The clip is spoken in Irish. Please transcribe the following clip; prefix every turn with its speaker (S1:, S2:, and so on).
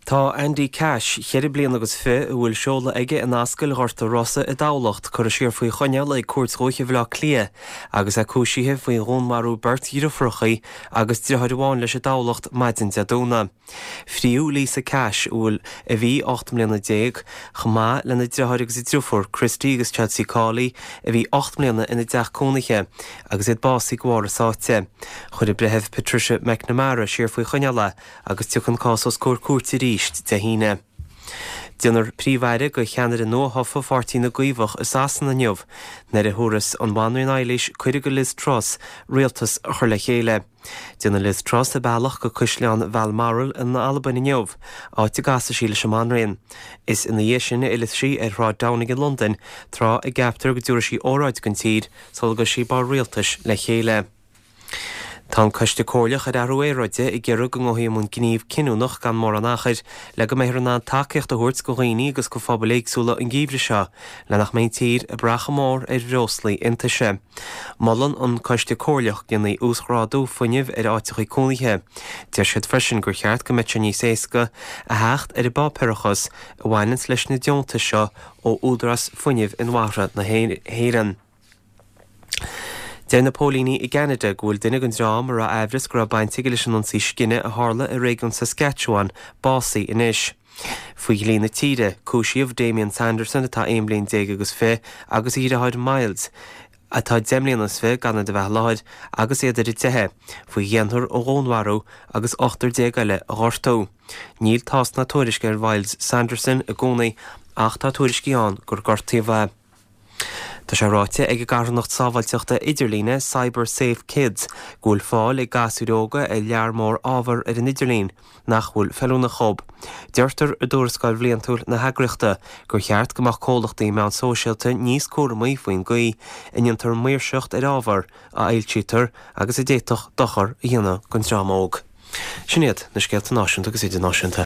S1: Tá Andy Cash, cheithre bliana agus fi, a bhfuil seoladh aige in Ascaill Ghort a' Rosa i dTamhlacht, curtha siar faoi choinneáil ag Cúirt Dhúiche Bhaile Átha Cliath agus é cúisithe faoi dhúnmharú beirt dhriofúrachaí agus driotháir amháin leis i dTamhlacht maidin Dé Domhnaigh. Fríodh Lisa Cash, a bhfuil a bhí 18 mbliana, chomh maith lena driotháir agus a driofúr, Christy agus Chelsea Cawley, a bhí 8 mbliana ina dteach cónaithe agus iad básaithe de bharr a sáite. Chuir an Breitheamh Patricia McNamara siar faoi choinneáil é agus tiocfaidh an cás os comhair cúirte arís Dé hAoine. Déanfar Príomh-Aire de cheannaire nua-thofa Pháirtí na gCaomhach i Sasana inniu, nuair a thabharfas an Bhanríon Eilís cuireadh do Liz Truss rialtas a chur le chéile. Déanfaidh Liz Truss a bealach go Caisleán Bhalmoral in Albain inniu, áit a gcasfaidh sí leis an mBanríon. Is ina dhiaidh sin a fhillfidh sí ar Shráid Downing i Londain, tráth a gceaptar go dtabharfaidh sí óráid don tír sula gcuirfidh sí bord rialtais le chéile. Tá an Coiste Comhairleach ar Athrú Aeráide ag iarraidh go ngabhfaí i mbun gníomh cinniúnach gan mórán achair le go mbeifear in ann tacaíocht a thabhairt do dhaoine agus do phobail éagsúla an geimhreadh seo le nach mbeidh an tír ag brath chomh mór ar bhreoslaí iontaise. Molann an Coiste Comhairleach go ndéanfaí uasghrádú fuinnimh ar áiteachaí cónaithe. Deir siad freisin gur cheart go mbeadh sé níos éasca a theacht ar an bpáipéarachas a bhaineanns leis na deontais seo ó Údarás Fuinnimh Inmharthana na hÉireann. Deir na póilíní i gCeanada go bhfuil duine den dream a raibh aimhreas go raibh baint aige leis an ionsaí scine a tharla i réigiún Saskatchewan básaithe anois. Faoi dhlí na tíre, cúisíodh Damien Sanderson, atá 11 bliain agus fi, agus a dheartháir Myles, atá 10 mbliana is fi, gan iad a bheith i láthair agus iad ar an teitheadh, faoi dhéanthar a dhúnmharú agus ochtar déag eile a ghortú. Níl tásc ná tuairisc ar Mhyles Sanderson i gcónaí ach tá tuairiscí ann gur gortaíodh é. Tá sé ráite ag an gcarthanacht sábháilteachta idirlíne Cyber Safe Kids go bhfuil fáil ag gasúir óga ar lear mór ábhar ar an idirlíon nach bhfuil feiliúnach dhób. Deirtear i dtuarascáil bhliantúil na heagraíochta gur cheart go mbeadh comhlachtaí meán sóisialta níos cúramaí faoin gcaoi a ndéantar maoirseacht ar ábhar a fhoilsítear agus a d'fhéadfadh dochar a dhéanamh don dream óg. Sin iad na scéalta náisiúnta agus idirnáisiúnta.